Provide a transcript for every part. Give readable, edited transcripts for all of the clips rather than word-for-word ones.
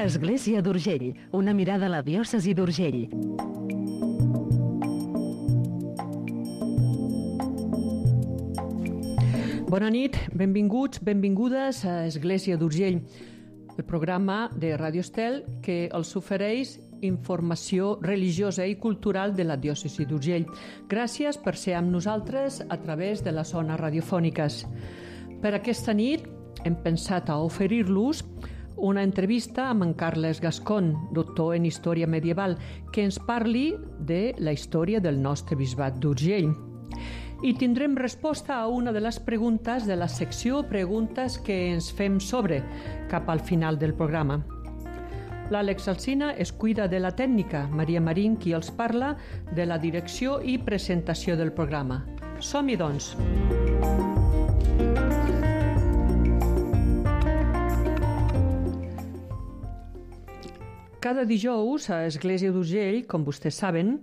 Església d'Urgell, una mirada a la diòcesi d'Urgell. Bona nit, benvinguts, benvingudes a Església d'Urgell, el programa de Ràdio Estel que els ofereix informació religiosa i cultural de la diòcesi d'Urgell. Gràcies per ser amb nosaltres a través de les zones radiofòniques. Per aquesta nit hem pensat a oferir-los una entrevista amb en Carles Gascon, doctor en Història Medieval, que ens parli de la història del nostre bisbat d'Urgell. I tindrem resposta a una de les preguntes de la secció Preguntes que ens fem sobre, cap al final del programa. L'Àlex Alsina es cuida de la tècnica, Maria Marín qui els parla de la direcció i presentació del programa. Som-hi, doncs! Cada dijous a Església d'Urgell, com vostès saben,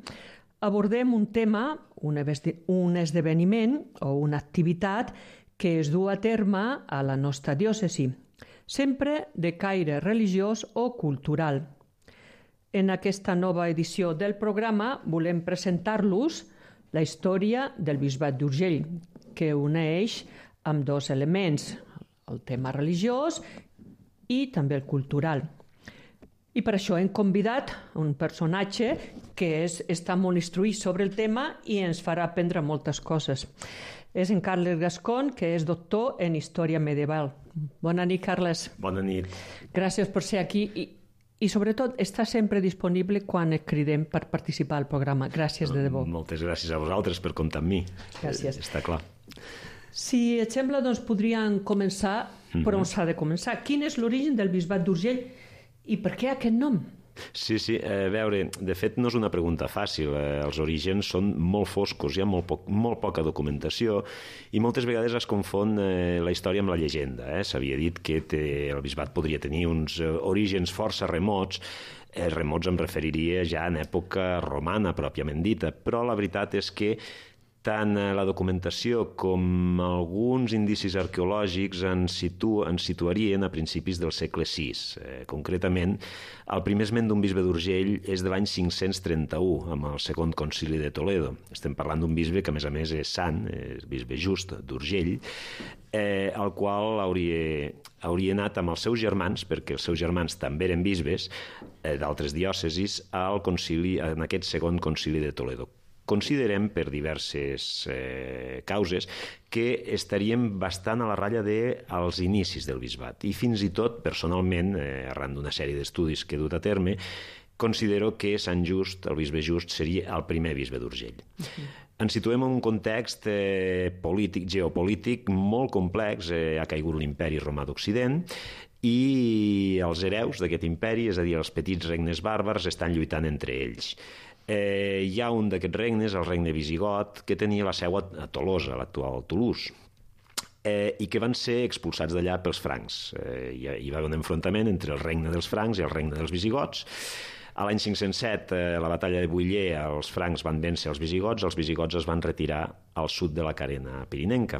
abordem un tema, un esdeveniment o una activitat que es du a terme a la nostra diòcesi, sempre de caire religiós o cultural. En aquesta nova edició del programa volem presentar-los la història del bisbat d'Urgell, que uneix amb dos elements, el tema religiós i també el cultural. I per això hem convidat un personatge que està molt instruït sobre el tema i ens farà aprendre moltes coses. És en Carles Gascon, que és doctor en Història Medieval. Bona nit, Carles. Bona nit. Gràcies per ser aquí i sobretot, està sempre disponible quan et cridem per participar al programa. Gràcies de debò. Moltes gràcies a vosaltres per comptar amb mi. Gràcies. Està clar. Si et sembla, doncs podríem començar per on s'ha de començar. Quin és l'origen del bisbat d'Urgell i per què aquest nom? Sí, a veure, de fet no és una pregunta fàcil, els orígens són molt foscos, hi ha molt poca documentació i moltes vegades es confon la història amb la llegenda. S'havia dit que el bisbat podria tenir uns orígens força remots, remots em referiria ja en època romana pròpiament dita, però la veritat és que tant la documentació com alguns indicis arqueològics ens situarien a principis del segle VI. Concretament, el primer esment d'un bisbe d'Urgell és de l'any 531, amb el segon concili de Toledo. Estem parlant d'un bisbe que, a més, és sant, és bisbe Just d'Urgell, el qual hauria anat amb els seus germans, perquè els seus germans també eren bisbes d'altres diòcesis, en aquest segon concili de Toledo. Considerem, per diverses causes, que estaríem bastant a la ratlla dels inicis del bisbat. I fins i tot, personalment, arran d'una sèrie d'estudis que he dut a terme, considero que Sant Just, el bisbe Just, seria el primer bisbe d'Urgell. Ens situem en un context geopolític molt complex. Ha caigut l'imperi romà d'Occident i els hereus d'aquest imperi, és a dir, els petits regnes bàrbars, estan lluitant entre ells. Hi ha un d'aquests regnes, el regne visigot, que tenia la seu a Tolosa, l'actual Toulouse, i que van ser expulsats d'allà pels francs. Hi va haver un enfrontament entre el regne dels francs i el regne dels visigots. A l'any 507, a la batalla de Buller, els francs van vèncer els visigots es van retirar al sud de la carena pirinenca.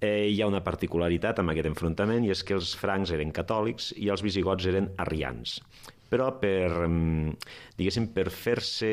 Hi ha una particularitat amb aquest enfrontament i és que els francs eren catòlics i els visigots eren arrians. Però per fer-se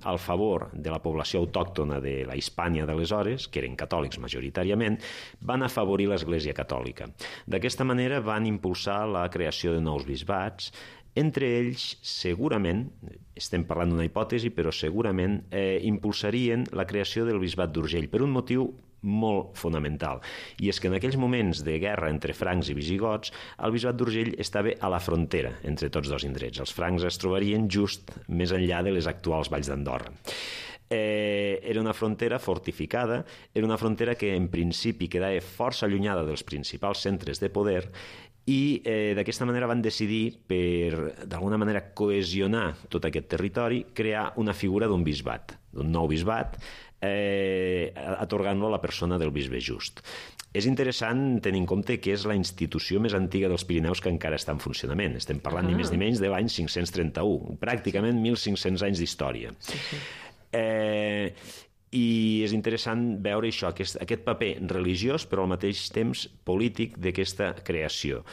al favor de la població autòctona de la Hispània d'aleshores, que eren catòlics majoritàriament, van afavorir l'Església catòlica. D'aquesta manera van impulsar la creació de nous bisbats. Entre ells, segurament, estem parlant d'una hipòtesi, però segurament impulsarien la creació del bisbat d'Urgell per un motiu molt fonamental, i és que en aquells moments de guerra entre francs i visigots, el bisbat d'Urgell estava a la frontera entre tots dos indrets. Els francs es trobarien just més enllà de les actuals valls d'Andorra. Era una frontera fortificada, era una frontera que en principi quedava força allunyada dels principals centres de poder i d'aquesta manera van decidir, per d'alguna manera cohesionar tot aquest territori, crear una figura d'un bisbat, d'un nou bisbat, atorgant-lo a la persona del bisbe Just. És interessant tenir en compte que és la institució més antiga dels Pirineus que encara està en funcionament. Estem parlant ni més ni menys de l'any 531, pràcticament 1.500 anys d'història. I és interessant veure això, aquest paper religiós però al mateix temps polític d'aquesta creació.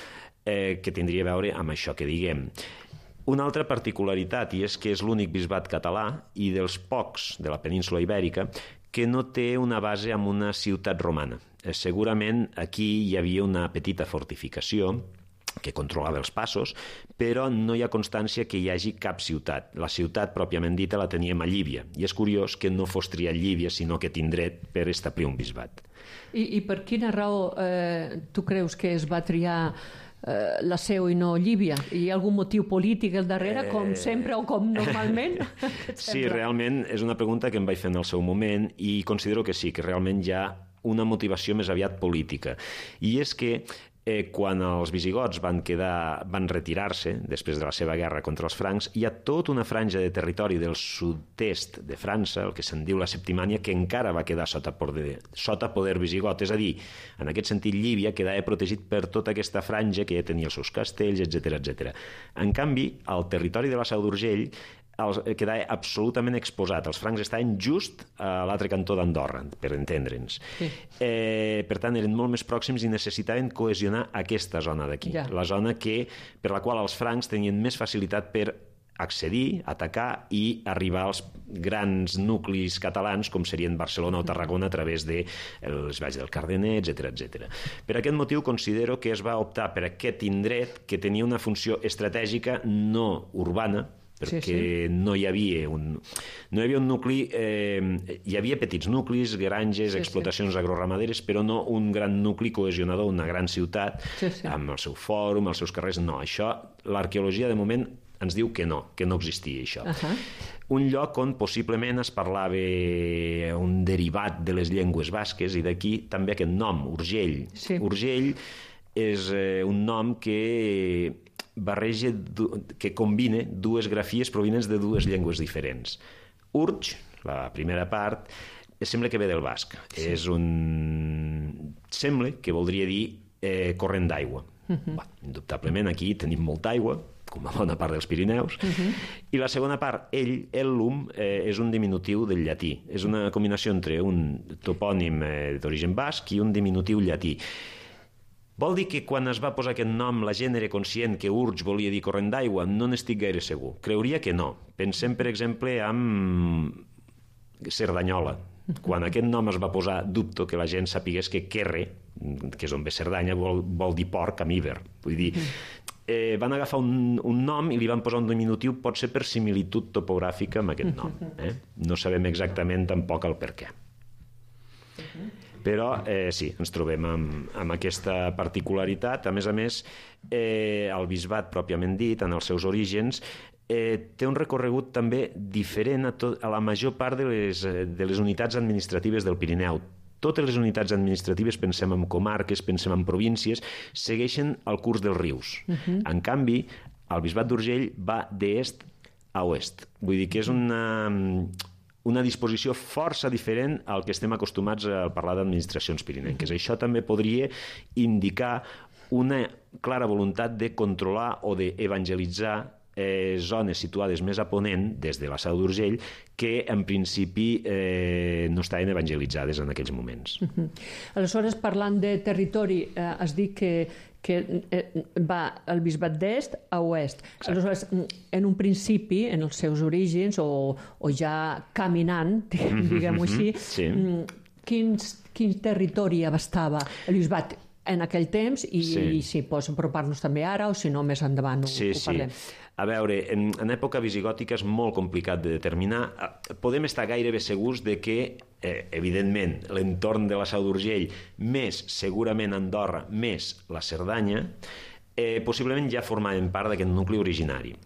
que tindria a veure amb això que diguem. Una altra particularitat, i és que és l'únic bisbat català i dels pocs de la península Ibèrica que no té una base en una ciutat romana. Segurament aquí hi havia una petita fortificació que controlava els passos, però no hi ha constància que hi hagi cap ciutat. La ciutat, pròpiament dita, la teníem a Llívia, i és curiós que no fos triat Llívia, sinó aquest indret per establir un bisbat. I per quina raó tu creus que es va triar la seu i no Llívia? Hi ha algun motiu polític al darrere, com sempre o com normalment? Sí, realment és una pregunta que em vaig fer en el seu moment i considero que sí, que realment hi ha una motivació més aviat política. I és que quan els visigots van retirar-se després de la seva guerra contra els francs, hi ha tota una franja de territori del sud-est de França, el que se'n diu la Septimània, que encara va quedar sota poder visigot. És a dir, en aquest sentit, Llívia quedava protegit per tota aquesta franja que ja tenia els seus castells, etc. En canvi, el territori de la Seu d'Urgell quedava absolutament exposat. Els francs estaven just a l'altre cantó d'Andorra, per entendre'ns. Sí. Per tant, eren molt més pròxims i necessitaven cohesionar aquesta zona d'aquí. Ja. La zona per la qual els francs tenien més facilitat per accedir, atacar i arribar als grans nuclis catalans com serien Barcelona o Tarragona a través de les valls del Cardener, etc. Per aquest motiu considero que es va optar per aquest indret que tenia una funció estratègica no urbana, perquè no hi havia un nucli, hi havia petits nuclis, granges, explotacions agroramaderes, però no un gran nucli cohesionador, una gran ciutat amb el seu fòrum, els seus carrers. No, això l'arqueologia de moment ens diu que no existia això. Un lloc on possiblement es parlava un derivat de les llengües basques, i d'aquí també aquest nom, Urgell. Urgell és un nom que combina dues grafies provinents de dues llengües diferents. Urge, la primera part, sembla que ve del basc. Sembla que voldria dir corrent d'aigua. Indubtablement aquí tenim molta aigua, com a bona part dels Pirineus, i la segona part, ellum, és un diminutiu del llatí. És una combinació entre un topònim d'origen basc i un diminutiu llatí. Vol dir que quan es va posar aquest nom la gent era conscient que Urge volia dir corrent d'aigua? No n'estic gaire segur. Creuria que no. Pensem, per exemple, en Cerdanyola. Quan aquest nom es va posar, dubto que la gent sapigués que Querre, que és on ve Cerdanya, vol dir porc amb Iber. Vull dir, van agafar un nom i li van posar un diminutiu, pot ser per similitud topogràfica amb aquest nom. No sabem exactament tampoc el per què. Però sí, ens trobem amb aquesta particularitat. A més, el bisbat pròpiament dit, en els seus orígens, té un recorregut també diferent a la major part de les unitats administratives del Pirineu. Totes les unitats administratives, pensem en comarques, pensem en províncies, segueixen el curs dels rius. En canvi, el bisbat d'Urgell va d'est a oest. Vull dir que és una disposició força diferent al que estem acostumats a parlar d'administracions pirinenques. Això també podria indicar una clara voluntat de controlar o d'evangelitzar zones situades més a ponent, des de la Seu d'Urgell, que en principi no estaven evangelitzades en aquells moments. Aleshores, parlant de territori, has dit que va el bisbat d'est a oest. Aleshores, en un principi, en els seus orígens, o ja caminant, diguem-ho així, quin territori abastava el bisbat en aquell temps, i si pots apropar-nos també ara, o si no, més endavant ho parlem. A veure, en època visigòtica és molt complicat de determinar. Podem estar gairebé segurs de que, evidentment, l'entorn de la Seu d'Urgell, més segurament Andorra, més la Cerdanya, possiblement ja formaven part d'aquest nucli originari.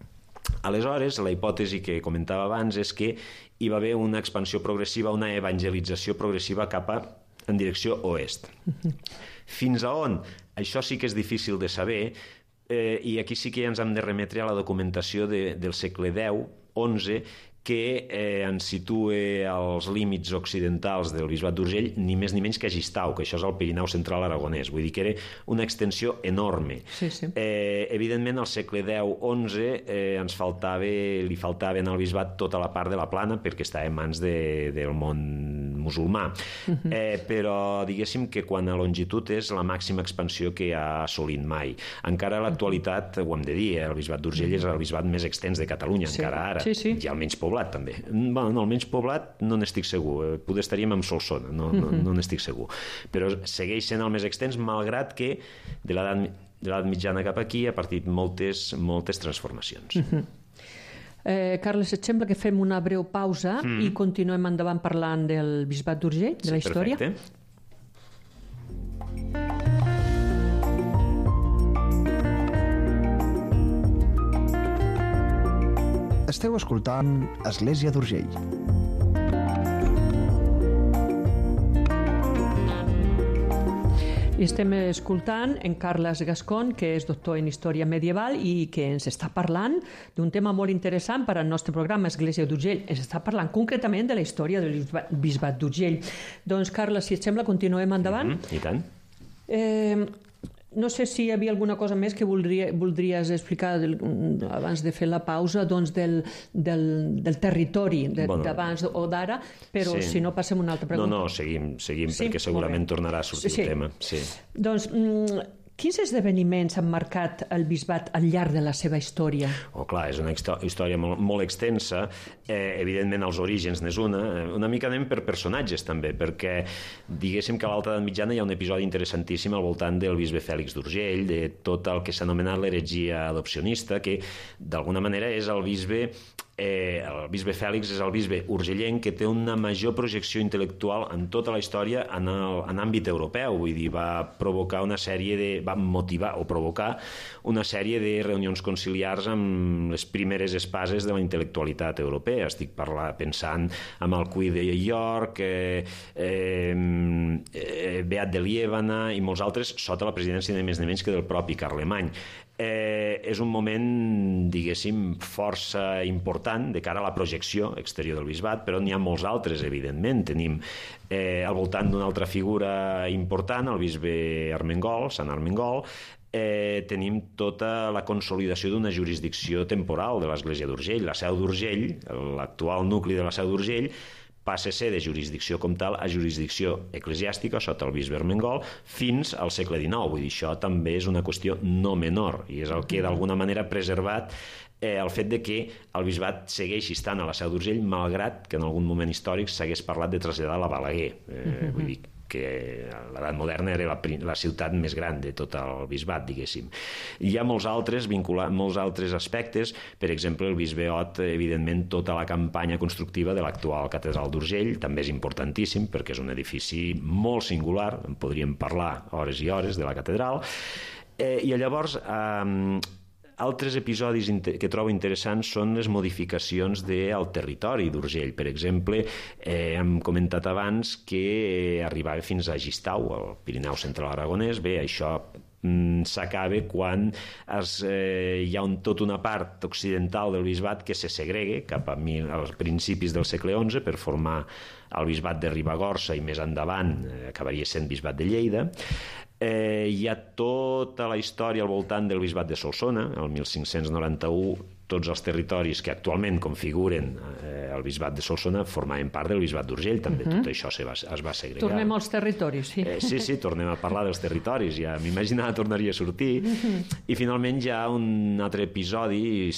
Aleshores, la hipòtesi que comentava abans és que hi va haver una expansió progressiva, una evangelització progressiva en direcció oest. Fins a on? Això sí que és difícil de saber, i aquí sí que ens hem de remetre a la documentació del segle X-XI, que ens situa als límits occidentals del bisbat d'Urgell, ni més ni menys que a Gistau, que això és el Pirineu central aragonès. Vull dir que era una extensió enorme. Evidentment, al segle X-XI li faltava al bisbat tota la part de la plana, perquè estava en mans del món musulmà. Però diguéssim que quan a longitud és la màxima expansió que ha assolit mai. Encara a l'actualitat, ho hem de dir, el bisbat d'Urgell és el bisbat més extens de Catalunya, encara ara. Hi ha el menys poblat, també. Bueno, no, el menys poblat no n'estic segur. Poder estaríem amb Solsona, no n'estic segur. Però segueix sent el més extens, malgrat que de l'edat mitjana cap aquí ha partit moltes transformacions. Carles, et sembla que fem una breu pausa i continuem endavant parlant del bisbat d'Urgell, de la història? Perfecte. Esteu escoltant Església d'Urgell. I estem escoltant en Carles Gascon, que és doctor en Història Medieval i que ens està parlant d'un tema molt interessant per al nostre programa Església d'Urgell. Ens està parlant concretament de la història del bisbat d'Urgell. Doncs, Carles, si et sembla, continuem endavant. I tant. No sé si hi havia alguna cosa més que voldries explicar abans de fer la pausa, doncs del territori d'abans o d'ara, però si no passem una altra pregunta. No, seguim perquè segurament tornarà a sortir el tema. Doncs, quins esdeveniments han marcat el bisbat al llarg de la seva història? Clar, és una història molt extensa. Evidentment, els orígens n'és una mica anem per personatges també, perquè diguéssim que a l'Alta Edat Mitjana hi ha un episodi interessantíssim al voltant del bisbe Fèlix d'Urgell, de tot el que s'ha anomenat l'heretgia adopcionista, que d'alguna manera és el bisbe Fèlix és el bisbe urgellenc que té una major projecció intel·lectual en tota la història en àmbit europeu. Vull dir, va motivar o provocar una sèrie de reunions conciliars amb les primeres espases de la intel·lectualitat europea. Estic pensant en el Cuí de York, Beat de Liébana i molts altres sota la presidència de més ni menys que del propi Carlemany. És un moment, diguéssim, força important de cara a la projecció exterior del bisbat, però n'hi ha molts altres, evidentment. Tenim al voltant d'una altra figura important, el bisbe Armengol, Sant Armengol, tenim tota la consolidació d'una jurisdicció temporal de l'Església d'Urgell. La Seu d'Urgell, l'actual nucli de la Seu d'Urgell, passa a ser de jurisdicció com tal a jurisdicció eclesiàstica sota el bisbe Armengol fins al segle XIX. Vull dir, això també és una qüestió no menor i és el que d'alguna manera ha preservat el fet de que el bisbat segueixi estant a la Seu d'Urgell, malgrat que en algun moment històric s'hagués parlat de traslladar a Balaguer. Vull dir que a l'edat moderna era la ciutat més gran de tot el bisbat, diguéssim. Hi ha molts altres aspectes, per exemple, el bisbe Ot, evidentment, tota la campanya constructiva de l'actual catedral d'Urgell, també és importantíssim, perquè és un edifici molt singular, en podríem parlar hores i hores de la catedral, i llavors altres episodis que trobo interessants són les modificacions del territori d'Urgell. Per exemple, hem comentat abans que arribava fins a Gistau, al Pirineu Central Aragonès. Bé, això s'acaba quan hi ha tota una part occidental del bisbat que se segregue cap als principis del segle XI per formar el bisbat de Ribagorça i més endavant acabaria sent bisbat de Lleida. Hi ha tota la història al voltant del bisbat de Solsona. El 1591 tots els territoris que actualment configuren el bisbat de Solsona formaven part del bisbat d'Urgell, també tot això es va segregar. Tornem als territoris, sí. Sí, tornem a parlar dels territoris, ja m'imaginava tornaria a sortir. I finalment hi ha un altre episodi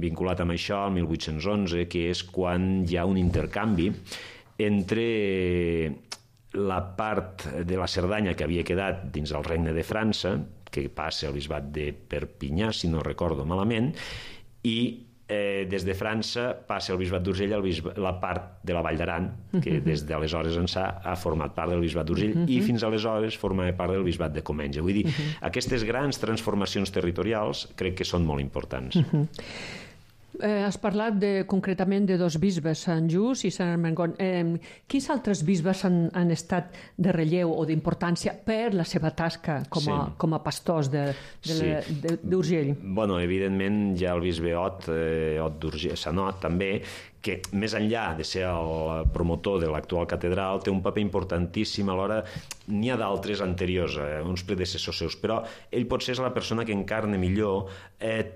vinculat amb això, el 1811, que és quan hi ha un intercanvi entre la part de la Cerdanya que havia quedat dins el regne de França, que passa al bisbat de Perpinyà, si no recordo malament, i des de França passa el bisbat d'Urgell la part de la Vall d'Aran, que des d'aleshores ençà ha format part del bisbat d'Urgell i fins aleshores formava part del bisbat de Comenge. Vull dir, aquestes grans transformacions territorials crec que són molt importants. Has parlat concretament de dos bisbes, Sant Just i Sant Armengol. Quins altres bisbes han estat de relleu o d'importància per la seva tasca com a pastors d'Urgell? Bueno, evidentment hi ha el bisbe Ot d'Urgell, Sant Ot també, que més enllà de ser el promotor de l'actual catedral té un paper importantíssim. Alhora n'hi ha d'altres anteriors, uns predecessors seus, però ell potser és la persona que encarna millor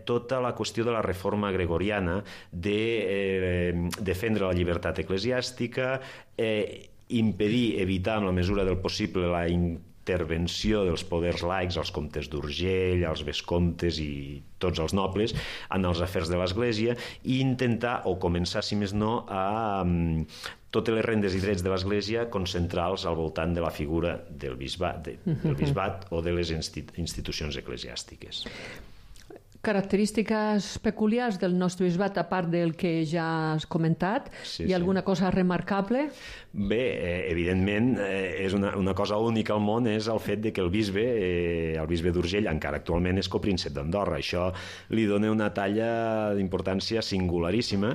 tota la qüestió de la reforma gregoriana, de defendre la llibertat eclesiàstica impedir, evitar en la mesura del possible la intervenció dels poders laics, els comtes d'Urgell, els vescomtes i tots els nobles en els afers de l'Església, i intentar, o començar, si més no, a totes les rendes i drets de l'Església concentrar-los al voltant de la figura del bisbat o de les institucions eclesiàstiques. Característiques peculiars del nostre bisbat, a part del que ja has comentat, hi ha alguna cosa remarcable? Bé, evidentment, és una cosa única al món, és el fet de que el bisbe d'Urgell, encara actualment és copríncep d'Andorra. Això li dona una talla d'importància singularíssima,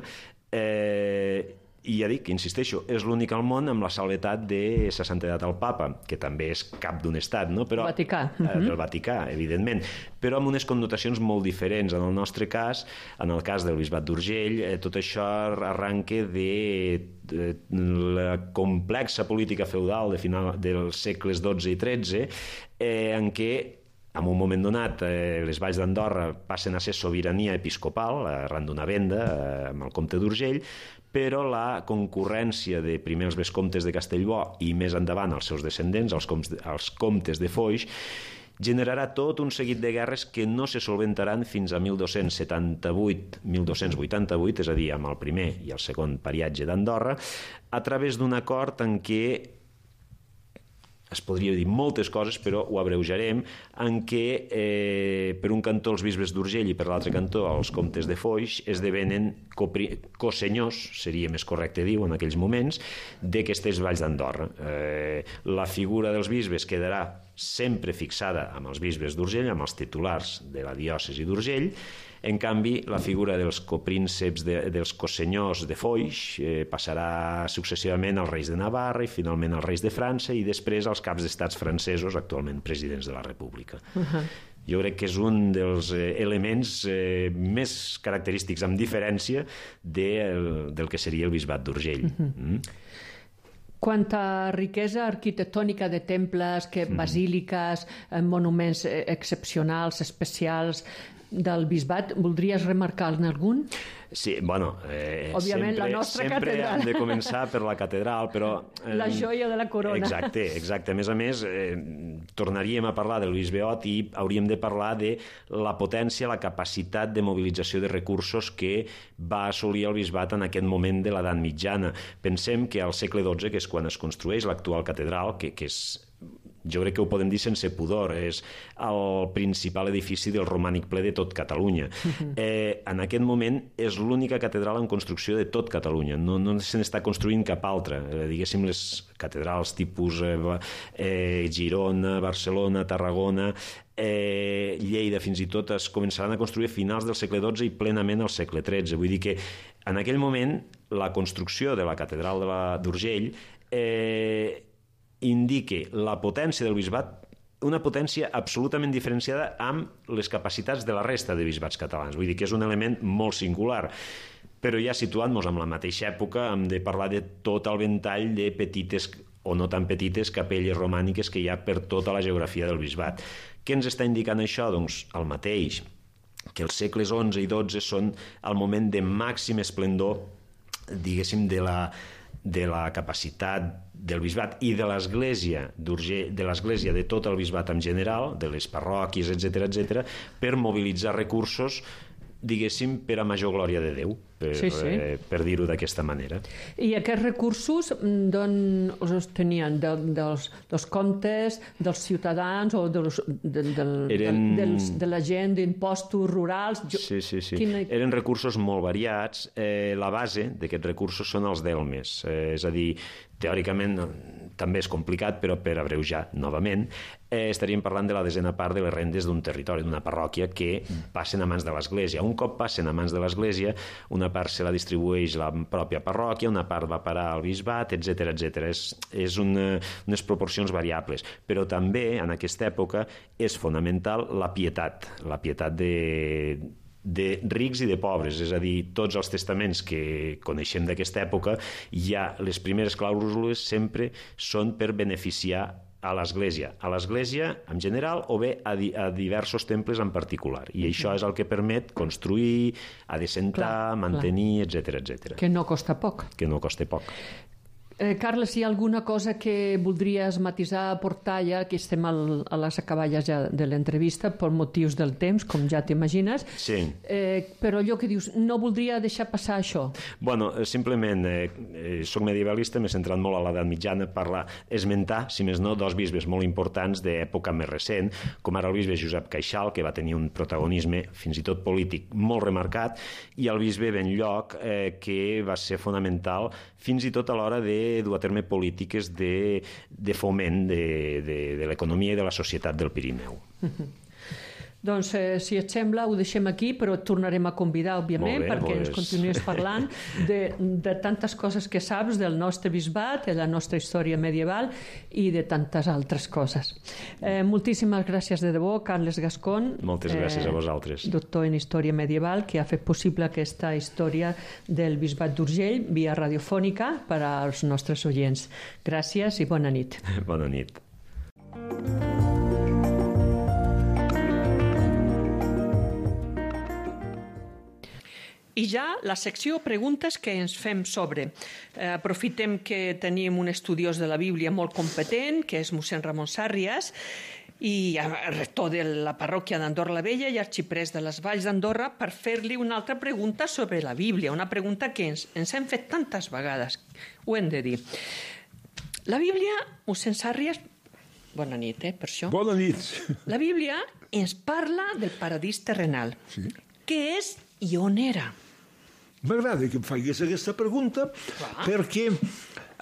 i ja dic, insisteixo, és l'únic al món amb la salvetat de sa santedat al papa, que també és cap d'un estat, no? Però, Vaticà. Del Vaticà, evidentment, però amb unes connotacions molt diferents. En el nostre cas, en el cas del bisbat d'Urgell, tot això arranca de la complexa política feudal de final dels segles XII i XIII, en què en un moment donat, les valls d'Andorra passen a ser sobirania episcopal, arran d'una venda amb el comte d'Urgell, però la concurrència de primer els vescomtes de Castellbò i més endavant els seus descendents, els comtes de Foix, generarà tot un seguit de guerres que no se solventaran fins a 1288, és a dir, amb el primer i el segon pariatge d'Andorra, a través d'un acord en què es podria dir moltes coses, però ho abreujarem, en què per un cantó els bisbes d'Urgell i per l'altre cantó els comtes de Foix esdevenen cosenyors, seria més correcte dir-ho en aquells moments, d'aquestes valls d'Andorra. La figura dels bisbes quedarà sempre fixada amb els bisbes d'Urgell, amb els titulars de la diòcesi d'Urgell. En canvi, la figura dels coprínceps, dels cosenyors de Foix, passarà successivament als reis de Navarra i finalment als reis de França i després als caps d'estats francesos, actualment presidents de la República. Jo crec que és un dels elements més característics, amb diferència, del que seria el bisbat d'Urgell. Quanta riquesa arquitectònica de temples, basíliques, monuments excepcionals, especials del bisbat, voldries remarcar-ne algun? Sí, bueno, òbviament, la nostra sempre catedral. Hem de començar per la catedral, però... La joia de la corona. Exacte. A més, tornaríem a parlar del bisbeot i hauríem de parlar de la potència, la capacitat de mobilització de recursos que va assolir el bisbat en aquest moment de l'edat mitjana. Pensem que al segle XII, que és quan es construeix l'actual catedral, que és... Jo crec que ho podem dir sense pudor, és el principal edifici del romànic ple de tot Catalunya. En aquest moment és l'única catedral en construcció de tot Catalunya, no se n'està construint cap altra. Diguéssim, les catedrals tipus Girona, Barcelona, Tarragona, Lleida, fins i tot es començaran a construir a finals del segle XII i plenament al segle XIII. Vull dir que en aquell moment la construcció de la catedral d'Urgell indique la potència del bisbat, una potència absolutament diferenciada amb les capacitats de la resta de bisbats catalans. Vull dir que és un element molt singular. Però ja situant-nos en la mateixa època hem de parlar de tot el ventall de petites o no tan petites capelles romàniques que hi ha per tota la geografia del bisbat. Què ens està indicant això? Doncs el mateix, que els segles XI i XII són el moment de màxim esplendor, diguéssim, de la capacitat del bisbat i de l'Església de tot el bisbat en general, de les parròquies, etc., per mobilitzar recursos, diguéssim, per a major glòria de Déu, per dir-ho d'aquesta manera. I aquests recursos d'on els tenien? Dels comtes, dels ciutadans o de la gent, d'impostos rurals? Sí. Eren recursos molt variats. La base d'aquests recursos són els delmes. És a dir, teòricament també és complicat, però per abreujar novament, estaríem parlant de la desena part de les rendes d'un territori, d'una parròquia, que passen a mans de l'Església. Un cop passen a mans de l'Església, una part se la distribueix la pròpia parròquia, una part va parar al bisbat, etc. És unes proporcions variables. Però també, en aquesta època, és fonamental la pietat de rics i de pobres, és a dir, tots els testaments que coneixem d'aquesta època, ja les primeres clàusules sempre són per beneficiar a l'Església en general o bé a diversos temples en particular. I això és el que permet construir, adecentar, mantenir, etc. Que no costa poc. Que no costa poc. Carles, hi ha alguna cosa que voldries matisar, aportar ja, que estem a les acaballes ja de l'entrevista per motius del temps, com ja t'imagines. Sí. Però allò que dius, no voldria deixar passar això. Bueno, simplement, soc medievalista, m'he centrat molt a l'edat mitjana per esmentar, si més no, dos bisbes molt importants d'època més recent, com ara el bisbe Josep Caixal, que va tenir un protagonisme fins i tot polític molt remarcat, i el bisbe Benlloc, que va ser fonamental fins i tot a l'hora de dur a terme polítiques de foment de l'economia i de la societat del Pirineu. Doncs, si et sembla, ho deixem aquí, però et tornarem a convidar, òbviament, perquè ens continuïs parlant de tantes coses que saps del nostre bisbat, de la nostra història medieval i de tantes altres coses. Moltíssimes gràcies de debò, Carles Gascón. Moltes gràcies a vosaltres. Doctor en Història Medieval, que ha fet possible aquesta història del bisbat d'Urgell via radiofònica per als nostres oients. Gràcies i bona nit. Bona nit. I ja la secció preguntes que ens fem sobre. Aprofitem que tenim un estudiós de la Bíblia molt competent, que és mossèn Ramon Sàrrias, i rector de la parròquia d'Andorra la Vella i arxiprés de les Valls d'Andorra, per fer-li una altra pregunta sobre la Bíblia, una pregunta que ens hem fet tantes vegades, ho hem de dir. La Bíblia, mossèn Sàrrias, bona nit, per això. Bona nit. La Bíblia ens parla del paradís terrenal. Sí. Què és i on era? M'agrada que em facis aquesta pregunta perquè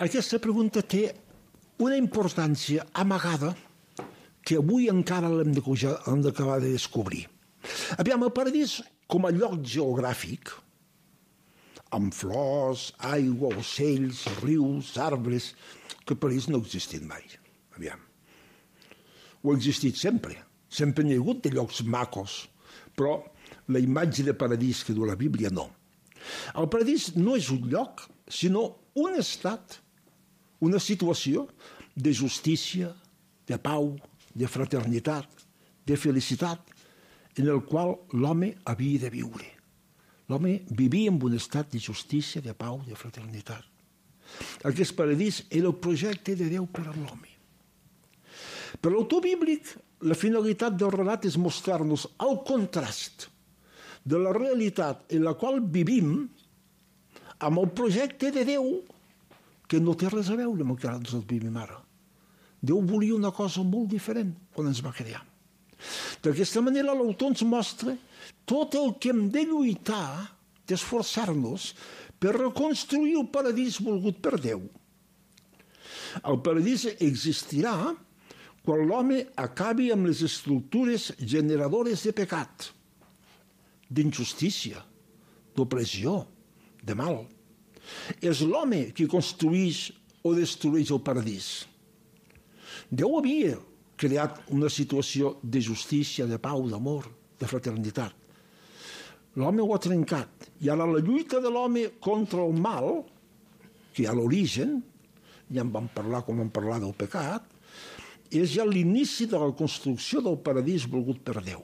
aquesta pregunta té una importància amagada que avui encara l'hem d'acabar de descobrir. Aviam, el paradís com a lloc geogràfic, amb flors, aigua, ocells, rius, arbres, que el paradís no ha existit mai. Aviam. Ho ha existit sempre. Sempre n'hi ha hagut de llocs macos, però la imatge de paradís que du la Bíblia no. El paradís no és un lloc, sinó un estat, una situació de justícia, de pau, de fraternitat, de felicitat, en el qual l'home havia de viure. L'home vivia en un estat de justícia, de pau, de fraternitat. Aquest paradís era el projecte de Déu per a l'home. Per l'autor bíblic, la finalitat del relat és mostrar-nos el contrast de la realitat en la qual vivim amb el projecte de Déu que no té res a veure amb el que nosaltres vivim ara. Déu volia una cosa molt diferent quan ens va crear. D'aquesta manera l'autor ens mostra tot el que hem de lluitar, d'esforçar-nos per reconstruir el paradís volgut per Déu. El paradís existirà quan l'home acabi amb les estructures generadores de pecat, d'injustícia, d'opressió, de mal. És l'home qui construeix o destrueix el paradís. Déu havia creat una situació de justícia, de pau, d'amor, de fraternitat. L'home ho ha trencat. I ara la lluita de l'home contra el mal, que hi ha l'origen, ja en vam parlar com vam parlar del pecat, és ja l'inici de la construcció del paradís volgut per Déu.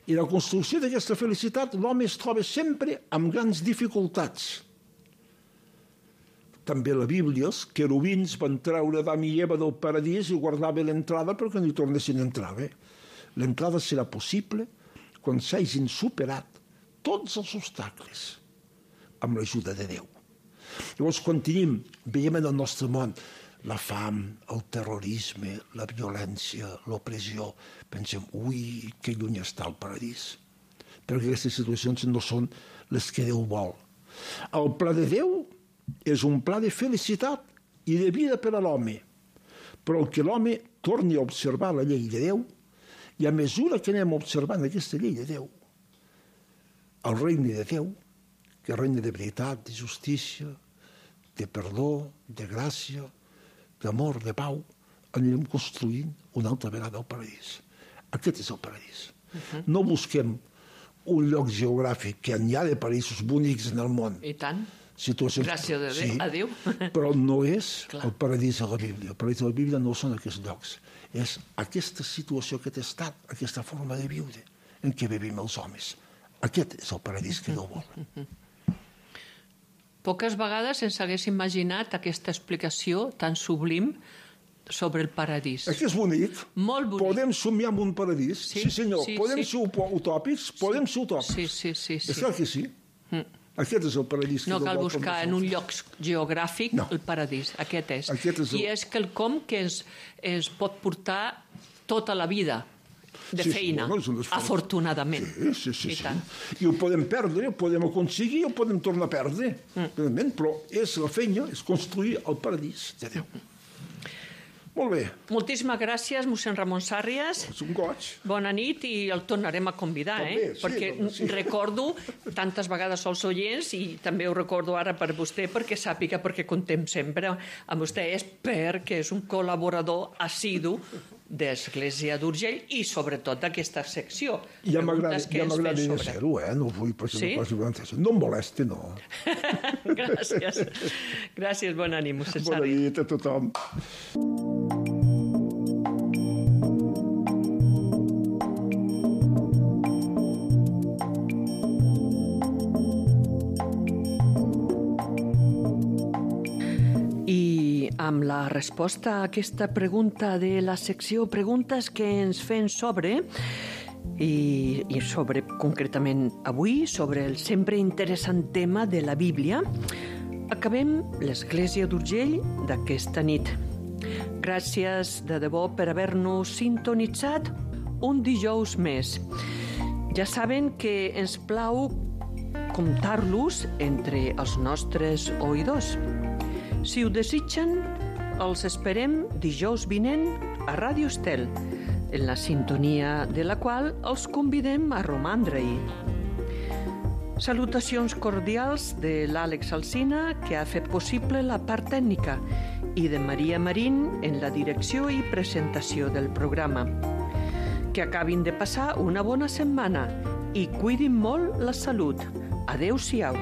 I la construcció d'aquesta felicitat, l'home es troba sempre amb grans dificultats. També a la Bíblia, els querubins van treure Adam i Eva del paradís i guardaven l'entrada perquè no hi tornessin a entrar. L'entrada serà possible quan s'hagin superat tots els obstacles amb l'ajuda de Déu. Llavors, quan veiem en el nostre món la fam, el terrorisme, la violència, l'opressió, pensem, ui, que lluny està el paradís. Perquè aquestes situacions no són les que Déu vol. El pla de Déu és un pla de felicitat i de vida per a l'home. Però el que l'home torni a observar la llei de Déu, i a mesura que anem observant aquesta llei de Déu, el regne de Déu, que és regne de veritat, de justícia, de perdó, de gràcia, d'amor, de pau, anirem construint una altra vegada el paradís. Aquest és el paradís. No busquem un lloc geogràfic, que n'hi ha de paraïsos bonics en el món. I tant. Situacions... Gràcies a Déu. Però no és el paradís de la Bíblia. El paradís de la Bíblia no són aquests llocs. És aquesta situació, aquest estat, aquesta forma de viure en què vivim els homes. Aquest és el paradís que Déu vol. Poques vegades ens hagués imaginat aquesta explicació tan sublim sobre el paradís. És que és bonic. Molt bonic. Podem somiar amb un paradís. Sí, Sí, senyor. sí, Podem sí. ser utòpics? Podem ser utòpics. Sí. És clar que sí. Aquest és el paradís. No que cal vol buscar per en un lloc geogràfic No. el paradís. Aquest és. Aquest és el- I és quelcom que es pot portar tota la vida de Sí, feina, bueno, és un esforç. afortunadament. Sí. I tant. I ho podem perdre, ho podem aconseguir, ho podem tornar a perdre. Realment, però és la feina, és construir el paradís de Déu. Molt bé, Moltíssimes gràcies, mossèn Ramon Sàrries. és un goig. Bona nit i el tornarem a convidar, També, sí, perquè doncs sí. recordo tantes vegades als oients i també ho recordo ara per vostè perquè sàpiga perquè contem sempre amb vostè és perquè és un col·laborador assidu d'Església d'Urgell i sobretot d'aquesta secció. Ja Preguntes que ens fem m'agradaria sobre. ser-ho, no vull perquè Sí? no em molesti, no. Gràcies. Gràcies, bona nit, mossèn Bona Sàrries. nit a tothom. I amb la resposta a aquesta pregunta de la secció Preguntes que ens fem sobre i sobre, concretament avui, sobre el sempre interessant tema de la Bíblia, acabem l'Església d'Urgell d'aquesta nit. Gràcies de debò per haver-nos sintonitzat un dijous més. Ja saben que ens plau comptar-los entre els nostres oïdors. Si ho desitgen, els esperem dijous vinent a Ràdio Estel, en la sintonia de la qual els convidem a romandre-hi. Salutacions cordials de l'Àlex Alsina, que ha fet possible la part tècnica, i de Maria Marín en la direcció i presentació del programa. Que acabin de passar una bona setmana i cuidin molt la salut. Adéu-siau.